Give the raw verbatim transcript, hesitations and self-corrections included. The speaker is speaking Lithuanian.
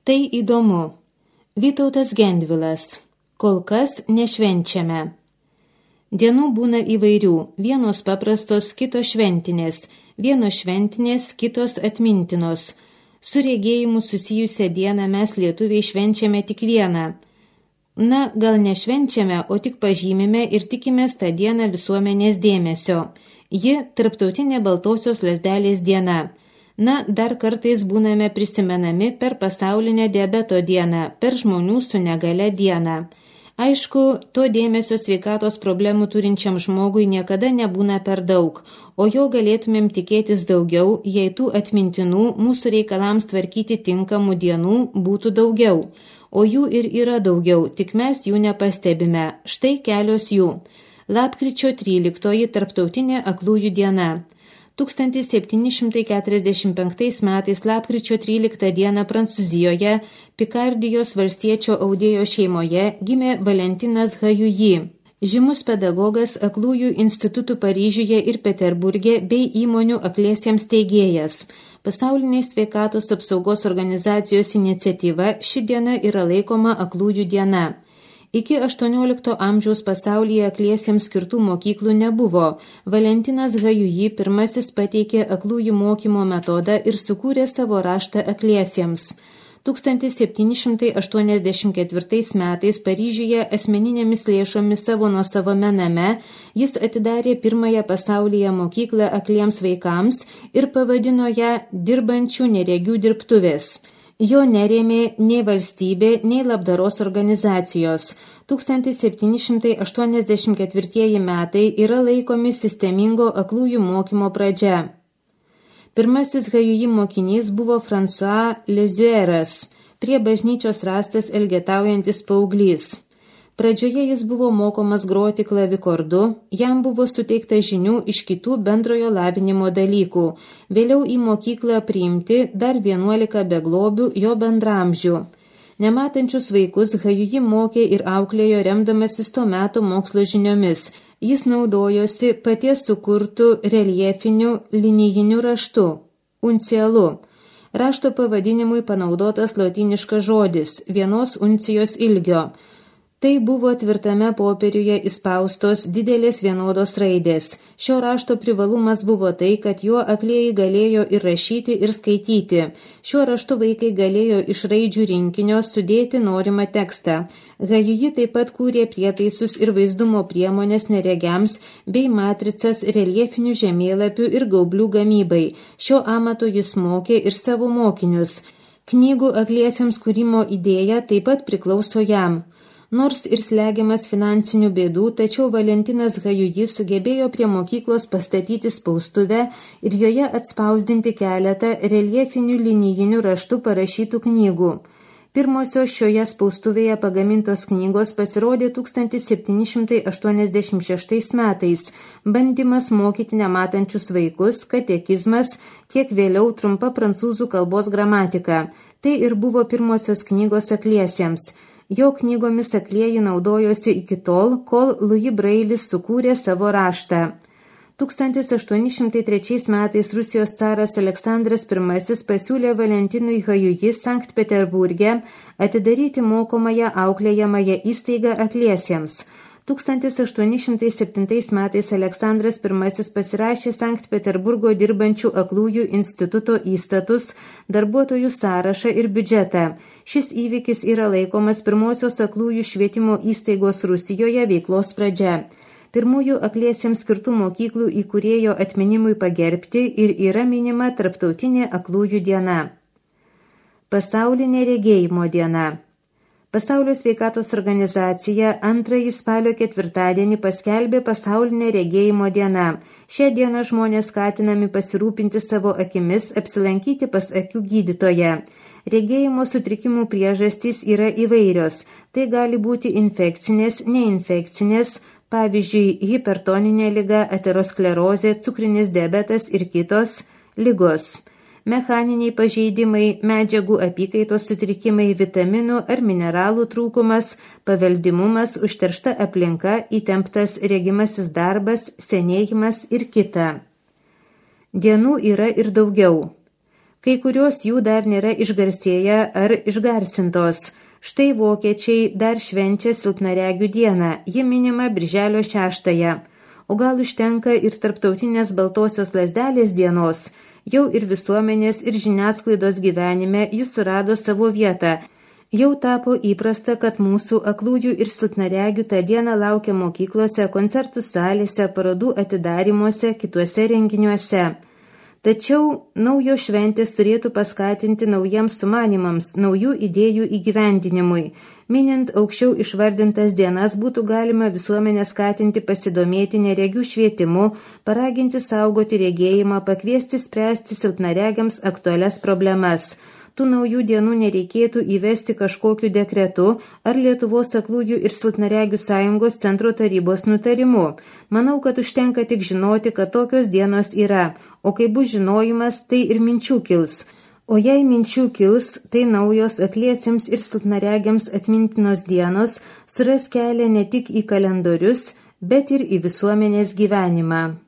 Tai įdomu. Vytautas Gendvilas. Kol kas nešvenčiame. Dienų būna įvairių, vienos paprastos, kitos šventinės, vienos šventinės, kitos atmintinos. Su regėjimu susijusią dieną mes lietuviai švenčiame tik vieną. Na, gal nešvenčiame, o tik pažymime ir tikimės tą dieną visuomenės dėmesio. Ji tarptautinė baltosios lazdelės diena. Na, dar kartais būname prisimenami per pasaulinę diabeto dieną, per žmonių su negale dieną. Aišku, to dėmesio sveikatos problemų turinčiam žmogui niekada nebūna per daug, o jo galėtumėm tikėtis daugiau, jei tų atmintinų mūsų reikalams tvarkyti tinkamų dienų būtų daugiau. O jų ir yra daugiau, tik mes jų nepastebime. Štai kelios jų. Lapkričio tryliktoji tarptautinė aklųjų diena. tūkstantis septyni šimtai keturiasdešimt penktais metais lapkričio tryliktą dieną Prancūzijoje, Pikardijos valstiečio audėjo šeimoje gimė Valentinas Hajuji, žymus pedagogas, aklųjų institutų Paryžiuje ir Peterburge bei įmonių akliesiems steigėjas. Pasaulinės sveikatos apsaugos organizacijos iniciatyva ši diena yra laikoma aklųjų diena. Iki aštuoniolikto amžiaus pasaulyje akliesiems skirtų mokyklų nebuvo. Valentinas Hajuji pirmasis pateikė aklųjų mokymo metodą ir sukūrė savo raštą akliesiems. tūkstantis septyni šimtai aštuoniasdešimt ketvirtais metais Paryžiuje asmeninėmis lėšomis savo nuosavame name jis atidarė pirmąją pasaulyje mokyklą akliems vaikams ir pavadino ją dirbančių neregių dirbtuvės. Jo nerėmė nei valstybė, nei labdaros organizacijos. tūkstantis septyni šimtai aštuoniasdešimt ketvirtieji metai yra laikomi sistemingo aklųjų mokymo pradžia. Pirmasis Hajuji mokinys buvo François Lezueras, prie bažnyčios rastas elgetaujantis paauglys. Pradžioje jis buvo mokomas groti klavikordu, jam buvo suteikta žinių iš kitų bendrojo lavinimo dalykų. Vėliau į mokyklą priimti dar vienuolika beglobių jo bendramžių. Nematančius vaikus Hajuji mokė ir auklėjo remdamasis to meto mokslo žiniomis. Jis naudojosi paties sukurtų reljefiniu linijiniu raštu, uncialu. Rašto pavadinimui panaudotas lotyniškas žodis, vienos uncijos ilgio. Tai buvo tvirtame popieriuje įspaustos didelės vienodos raidės. Šio rašto privalumas buvo tai, kad juo aklieji galėjo ir rašyti, ir skaityti. Šiuo raštu vaikai galėjo iš raidžių rinkinio sudėti norimą tekstą. Hajuji taip pat kūrė prietaisus ir vaizdumo priemonės neregiams bei matricas reljefinių žemėlapių ir gaublių gamybai. Šio amato jis mokė ir savo mokinius. Knygų akliesiems kūrimo idėja taip pat priklauso jam. Nors ir slegiamas finansinių bėdų, tačiau Valentinas Hajuji sugebėjo prie mokyklos pastatyti spaustuvę ir joje atspausdinti keletą reljefinių linijinių raštų parašytų knygų. Pirmosios šioje spaustuvėje pagamintos knygos pasirodė tūkstantis septyni šimtai aštuoniasdešimt šeštais metais, bandymas mokyti nematančius vaikus, katekizmas, kiek vėliau trumpa prancūzų kalbos gramatika. Tai ir buvo pirmosios knygos akliesiems. Jo knygomis aklieji naudojosi iki tol, kol Louis Brailis sukūrė savo raštą. tūkstantis aštuoni šimtai trečiais metais Rusijos caras Aleksandras pirmasis pasiūlė Valentinui Hajuji Sankt Peterburge atidaryti mokomąją auklėjamąją įstaigą akliesiems. tūkstantis aštuoni šimtai septintais metais Aleksandras pirmasis pasirašė Sankt Peterburgo dirbančių aklųjų instituto įstatus, darbuotojų sąrašą ir biudžetą. Šis įvykis yra laikomas pirmosios aklųjų švietimo įstaigos Rusijoje veiklos pradžia. Pirmųjų akliesiems skirtų mokyklų įkūrėjo atminimui pagerbti ir yra minima Tarptautinė aklųjų diena. Pasaulinė regėjimo diena. Pasaulio sveikatos organizacija antrąjį spalio ketvirtadienį paskelbė pasaulinę regėjimo dieną. Šią dieną žmonės skatinami pasirūpinti savo akimis, apsilankyti pas akių gydytoją. Regėjimo sutrikimų priežastys yra įvairios. Tai gali būti infekcinės, neinfekcinės, pavyzdžiui, hipertoninė liga, aterosklerozė, cukrinis diabetas ir kitos ligos. Mechaniniai pažeidimai, medžiagų apykaitos sutrikimai, vitaminų ar mineralų trūkumas, paveldimumas, užteršta aplinka, įtemptas regimasis darbas, senėjimas ir kita. Dienų yra ir daugiau. Kai kurios jų dar nėra išgarsėję ar išgarsintos. Štai vokiečiai dar švenčia silpnaregių dieną, ji minima birželio šeštąją. O gal užtenka ir tarptautinės baltosios lazdelės dienos, jau ir visuomenės ir žiniasklaidos gyvenime jis surado savo vietą. Jau tapo įprasta, kad mūsų aklųjų ir silpnaregių tą dieną laukia mokyklose, koncertų salėse, parodų atidarimuose, kituose renginiuose. Tačiau naujos šventės turėtų paskatinti naujiems sumanimams, naujų idėjų įgyvendinimui. Minint aukščiau išvardintas dienas būtų galima visuomenę skatinti pasidomėti neregių švietimu, paraginti saugoti regėjimą, pakviesti spręsti silpnaregiams aktualias problemas. Tų naujų dienų nereikėtų įvesti kažkokiu dekretu ar Lietuvos aklųjų ir silpnaregių sąjungos centro tarybos nutarimu. Manau, kad užtenka tik žinoti, kad tokios dienos yra, o kai bus žinojimas, tai ir minčių kils. O jei minčių kils, tai naujos akliesiems ir silpnaregiams atmintinos dienos suras kelią ne tik į kalendorius, bet ir į visuomenės gyvenimą.